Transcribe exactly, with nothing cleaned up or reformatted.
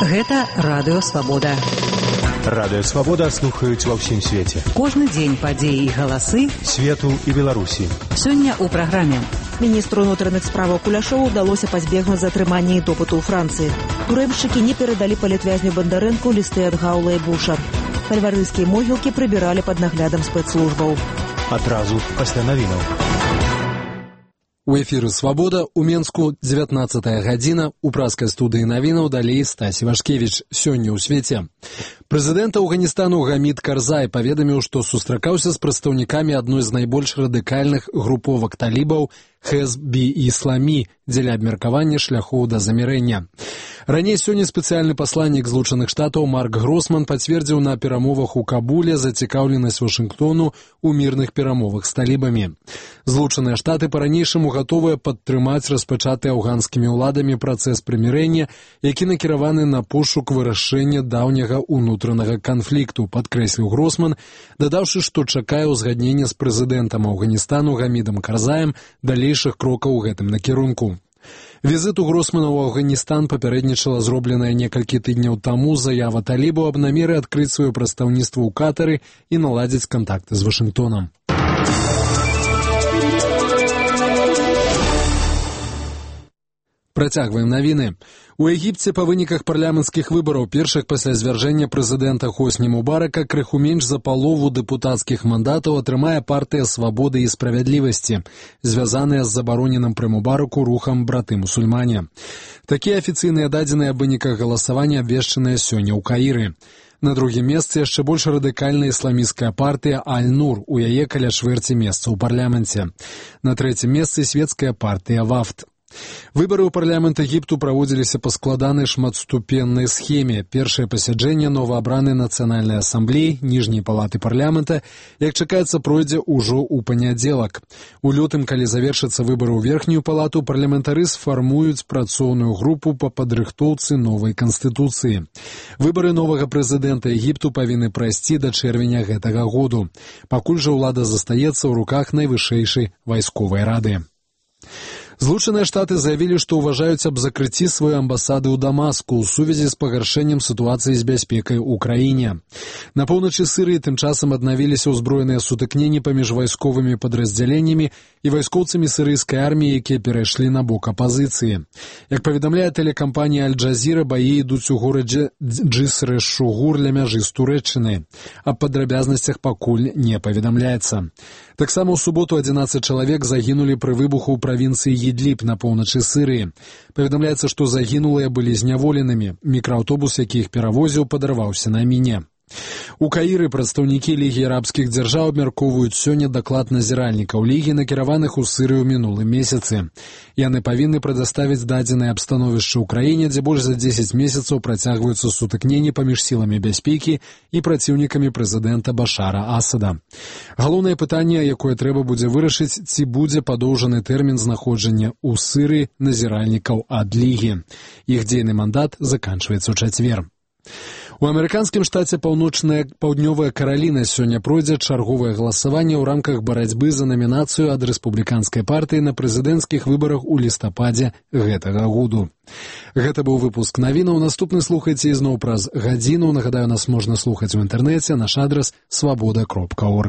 Гэта Радыё Свабода. Радыё Свабода слухаюць ва ўсім свеце. Кожны дзень падзеі і галасы свету і Беларусі. Сёння ў праграме. Міністру ўнутраных справаў Куляшову ўдалося пазбегнуць затрымання і допыту ў Францыі. Турэмшчыкі не перадалі палітвязню Бандарэнку лісты ад Гаула і Буша. Кальварыйскія могілкі прыбіралі пад наглядам спецслужбаў. Адразу пасля навінаў. У эфіры «Свабода» у Менску дзевятнаццатая гадзіна. У праскай студыі навінаў далей Стасі Вашкевіч. Сёння ў свеце. Прэзідэнт Афганістану Гамід Карзай паведаміў, што сустракаўся з прадстаўнікамі адной з найбольш радыкальных груповак талібаў Хезб-і-Ісламі дзеля абмеркавання шляхоў да замірэння. Раней сёння спецыяльны пасланнік Злучаных Штатаў Марк Гросман пацвердзіў на перамовах у Кабуле зацікаўленасць Вашынгтону ў мірных перамовах з талібамі. Злучаныя Штаты па-ранейшаму гатовыя падтрымаць распачаты афганскімі ўладамі працэс прымірэння, які накіраваны на пошук вырашэння даўняга ўнутранага канфлікту, падкрэсліў Гросман, дадаўшы, што чакае ўзгаднення з прэзідэнтам Афганістану Гамідам Карзаем далейшых крокаў у гэтым накірунку. Візіту Гросмана ў Афганістан папярэднічала зробленая некалькі тыдняў таму заява талібаў аб намеры адкрыць сваё прадстаўніцтва ў Катары і наладзіць кантакты з Вашынгтонам. Працягваем навіны. У Егіпце па выніках парламенцкіх выбараў, першых пасля звяржэння прэзідэнта Хосні Мубарака, крыху менш за палову дэпутацкіх мандатаў атрымае партыя «Свабоды і справядлівасці», звязаная з забароненым пры Мубараку рухам браты-мусульмане. Такія афіцыйныя дадзеныя аб выніках галасавання абвешчаныя сёння ў Каіры. На другім месцы яшчэ больш радыкальная ісламісцкая партыя «Аль-Нур», у яе каля чвэрці месца ў парламенце. На трэцім месцы свецкая партыя «Вафд». Выбары ў парламент Егіпту праводзіліся па складанай шматступеннай схеме. Першае пасяджэнне новаабранай нацыянальнай асамблеі, ніжняй палаты парламента, як чакаецца, пройдзе ўжо ў панядзелак. У лютым, калі завершацца выбары ў верхнюю палату, парламентары сфармуюць працоўную групу па падрыхтоўцы новай канстытуцыі. Выбары новага прэзідэнта Егіпту павінны прайсці да чэрвеня гэтага году. Пакуль жа ўлада застаецца ў руках найвышэйшай вайсковай рады. Злучаныя Штаты заявілі, што ўважаюць аб закрыцці сваёй амбасады ў Дамаску ў сувязі з пагаршэннем сітуацыі з бяспекай у краіне. На поўначы Сірыі тым часам аднавіліся ўзброеныя сутыкненні паміж вайсковымі падраздзяленнямі і вайскоўцамі сірыйскай арміі, якія перайшлі на бок апазіцыі. Як паведамляе тэлекампанія «Аль-Джазіра», баі ідуць у горадзе Джиср-эш-Шугур ля мяжы з Турэччынай. Аб падрабязнасцях пакуль не паведамляецца. Таксама ў суботу адзінаццаць чалавек загінулі пры выбуху ў правінцыі Ідліб на поўначы Сірыі. Паведамляецца, што загінулыя былі зняволенымі. Мікрааўтобус, які іх перавозіў, падарваўся на міне. У Каіры прадстаўнікі Лігі арабскіх дзяржаў абмяркоўваюць сёння даклад назіральнікаў Лігі, накіраваных у Сірыю мінулым месяцы. Яны павінны прадаставіць дадзенае аб становішчы ў краіне, дзе больш за дзесяць месяцаў працягваюцца сутыкненні паміж сіламі бяспекі і праціўнікамі прэзідэнта Башара Асада. Галоўнае пытанне, якое трэба будзе вырашыць, ці будзе падоўжаны тэрмін знаходжання ў Сірыі назіральнікаў ад Лігі. Іх дзейны мандат заканчваецца ў чацвер. У амерыканскім штаце паўночная паўднёвая Караліна сёння пройдзе чарговае галасаванне ў рамках барацьбы за намінацыю ад рэспубліканскай партыі на прэзідэнцкіх выбарах у лістападзе гэтага году. Гэта быў выпуск навінаў. Наступны слухайце ізноў праз гадзіну. Нагадаю, нас можна слухаць у інтэрнэце. Наш адрас свабода кропка орг.